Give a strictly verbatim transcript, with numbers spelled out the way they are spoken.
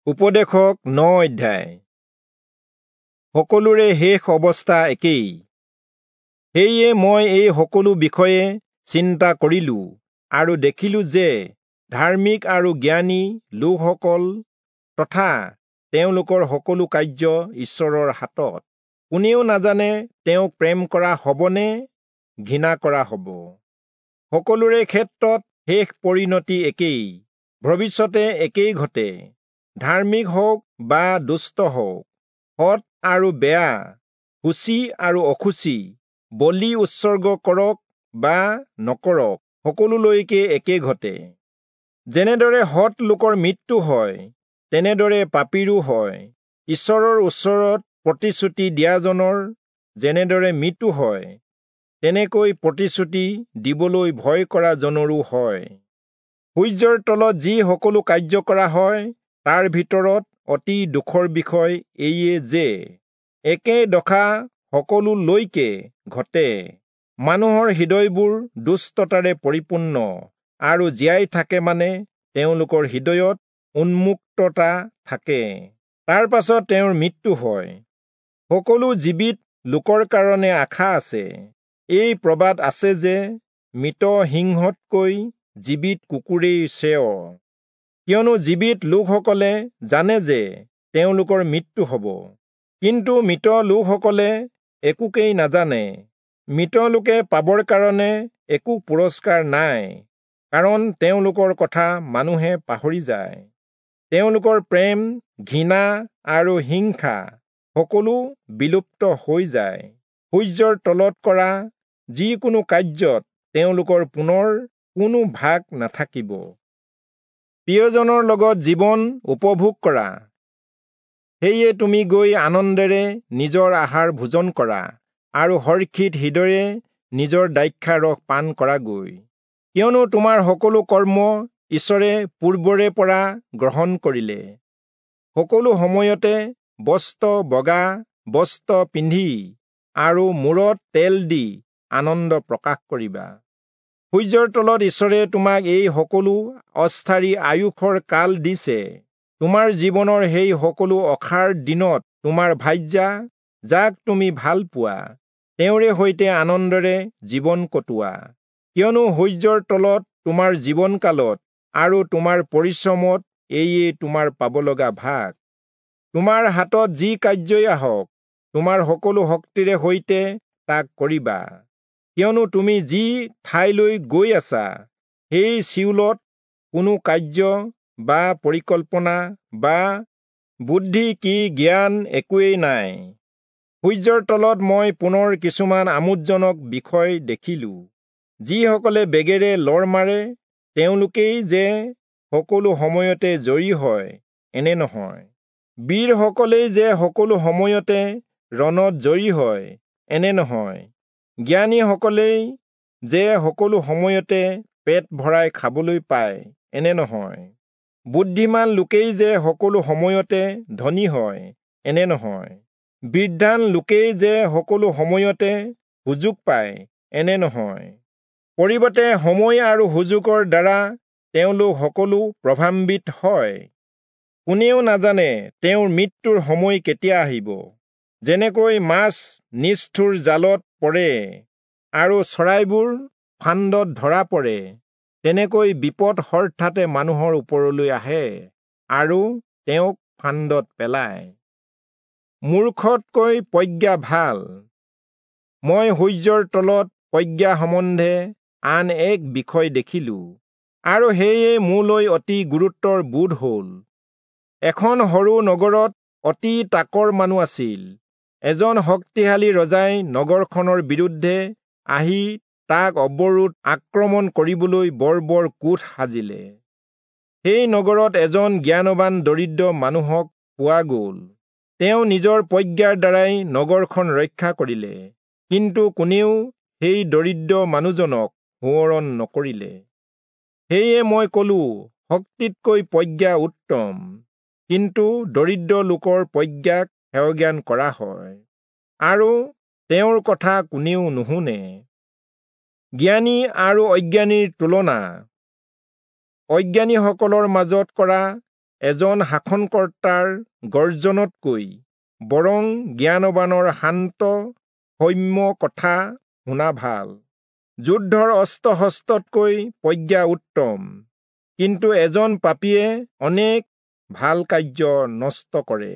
উপদেশক ন অধ্যায়। সকলোৰে শেষ অৱস্থা একেই। সেয়ে মই এই সকলো বিষয়ে চিন্তা কৰিলো আৰু দেখিলো যে ধাৰ্মিক আৰু জ্ঞানী লোকসকল তথা তেওঁলোকৰ সকলো কাৰ্য ঈশ্বৰৰ হাতত। কোনেও নাজানে তেওঁক প্ৰেম কৰা হ'বনে ঘৃণা কৰা হ'ব। সকলোৰে ক্ষেত্ৰত শেষ পৰিণতি একেই, ভৱিষ্যতে একেই ঘটে। ধাৰ্মিক হওক বা দুষ্ট হওক, সৎ আৰু বেয়া, শুচি আৰু অশুচি, বলি উৎসৰ্গ কৰক বা নকৰক, সকলোলৈকে একে ঘটে। যেনেদৰে সৎ লোকৰ মৃত্যু হয়, তেনেদৰে পাপীৰো হয়। ঈশ্বৰৰ ওচৰত প্ৰতিশ্ৰুতি দিয়াজনৰ যেনেদৰে মৃত্যু হয়, তেনেকৈ প্ৰতিশ্ৰুতি দিবলৈ ভয় কৰা জনৰো হয়। সূৰ্যৰ তলত যি সকলো কাৰ্য কৰা হয়, তাৰ ভিতৰত অতি দুখৰ বিষয় এইয়ে যে একে দশা সকলোলৈকে ঘটে। মানুহৰ হৃদয়বোৰ দুষ্টতাৰে পৰিপূৰ্ণ আৰু জীয়াই থাকে, মানে তেওঁলোকৰ হৃদয়ত উন্মুক্ততা থাকে। তাৰ পাছত তেওঁৰ মৃত্যু হয়। সকলো জীৱিত লোকৰ কাৰণে আশা আছে। এই প্ৰবাদ আছে যে মৃত সিংহতকৈ জীৱিত কুকুৰেই শ্ৰেয়। কিয়নো জীৱিত লোকসকলে জানে যে তেওঁলোকৰ মৃত্যু হ'ব, কিন্তু মৃত লোকসকলে একোকেই নাজানে। মৃত লোকে পাবৰ কাৰণে একো পুৰস্কাৰ নাই, কাৰণ তেওঁলোকৰ কথা মানুহে পাহৰি যায়। তেওঁলোকৰ প্ৰেম, ঘৃণা আৰু হিংসা সকলো বিলুপ্ত হৈ যায়। সূৰ্যৰ তলত কৰা যিকোনো কাৰ্যত তেওঁলোকৰ পুনৰ কোনো ভাগ নাথাকিব। প্ৰিয়জনৰ লগত জীৱন উপভোগ কৰা। সেয়ে তুমি গৈ আনন্দেৰে নিজৰ আহাৰ ভোজন কৰা আৰু হৰ্ষিত হৃদয়ে নিজৰ দ্ৰাক্ষাৰস পান কৰাগৈ, কিয়নো তোমাৰ সকলো কৰ্ম ঈশ্বৰে পূৰ্বৰে পৰা গ্ৰহণ কৰিলে। সকলো সময়তে বস্ত্ৰ বগা বস্ত্ৰ পিন্ধি আৰু মূৰত তেল দি আনন্দ প্ৰকাশ কৰিবা। সূৰ্যৰ তলত ঈশ্বৰে তোমাক এই সকলো অস্থায়ী আয়ুসৰ কাল দিছে। তোমাৰ জীৱনৰ সেই সকলো অসাৰ দিনত তোমাৰ ভাৰ্যা, যাক তুমি ভাল পোৱা, তেওঁৰে সৈতে আনন্দেৰে জীৱন কটোৱা। কিয়নো সূৰ্যৰ তলত তোমাৰ জীৱনকালত আৰু তোমাৰ পৰিশ্ৰমত এয়ে তোমাৰ পাব লগা ভাগ। তোমাৰ হাতত যি কাৰ্যই আহক, তোমাৰ সকলো শক্তিৰে সৈতে তাক কৰিবা। কিয়নো তুমি যি ঠাইলৈ গৈ আছা, সেই চিয়োলত কোনো কাৰ্য বা পৰিকল্পনা বা বুদ্ধি কি জ্ঞান একোৱেই নাই। সূৰ্যৰ তলত মই পুনৰ কিছুমান আমোদজনক বিষয় দেখিলো। যিসকলে বেগেৰে লৰ মাৰে, তেওঁলোকেই যে সকলো সময়তে জয়ী হয় এনে নহয়। বীৰসকলেই যে সকলো সময়তে ৰণত জয়ী হয় এনে নহয়। জ্ঞানীসকলেই যে সকলো সময়তে পেট ভৰাই খাবলৈ পায় এনে নহয়। বুদ্ধিমান লোকেই যে সকলো সময়তে ধনী হয় এনে নহয়। বিদ্বান লোকেই যে সকলো সময়তে সুযোগ পায় এনে নহয়। পৰিৱৰ্তে সময় আৰু সুযোগৰ দ্বাৰা তেওঁলোক সকলো প্ৰভাৱান্বিত হয়। কোনেও নাজানে তেওঁৰ মৃত্যুৰ সময় কেতিয়া আহিব। যেনেকৈ মাছ নিষ্ঠুৰ জালত পৰে আৰু চৰাইবোৰ ফান্দত ধৰা পৰে, তেনেকৈ বিপদ হঠাতে মানুহৰ ওপৰলৈ আহে আৰু তেওঁক ফান্দত পেলায়। মূৰ্খতকৈ প্ৰজ্ঞা ভাল। মই সূৰ্যৰ তলত প্ৰজ্ঞা সম্বন্ধে আন এক বিষয় দেখিলো, আৰু সেয়ে মোলৈ অতি গুৰুত্বৰ বোধ হ'ল। এখন সৰু নগৰত অতি তাকৰ মানুহ আছিল। এজন শক্তিশালী ৰজাই নগৰখনৰ বিৰুদ্ধে আহি তাক অৱৰোধ আক্ৰমণ কৰিবলৈ বৰ বৰ কোঠ সাজিলে। সেই নগৰত এজন জ্ঞানৱান দৰিদ্ৰ মানুহক পোৱা গ'ল। তেওঁ নিজৰ প্ৰজ্ঞাৰ দ্বাৰাই নগৰখন ৰক্ষা কৰিলে, কিন্তু কোনেও সেই দৰিদ্ৰ মানুহজনক সোঁৱৰণ নকৰিলে। সেয়ে মই কলো, শক্তিতকৈ প্ৰজ্ঞা উত্তম, কিন্তু দৰিদ্ৰ লোকৰ প্ৰজ্ঞাক হেয়জ্ঞান কৰা হয় আৰু তেওঁৰ কথা কোনেও নুশুনে। জ্ঞানী আৰু অজ্ঞানীৰ তুলনা। অজ্ঞানীসকলৰ মাজত কৰা এজন শাসনকৰ্তাৰ গৰ্জনতকৈ বৰং জ্ঞানৱানৰ শান্ত সৌম্য কথা শুনা ভাল। যুদ্ধৰ অস্ত্ৰ শস্ত্ৰতকৈ প্ৰজ্ঞা উত্তম, কিন্তু এজন পাপীয়ে অনেক ভাল কাৰ্য নষ্ট কৰে।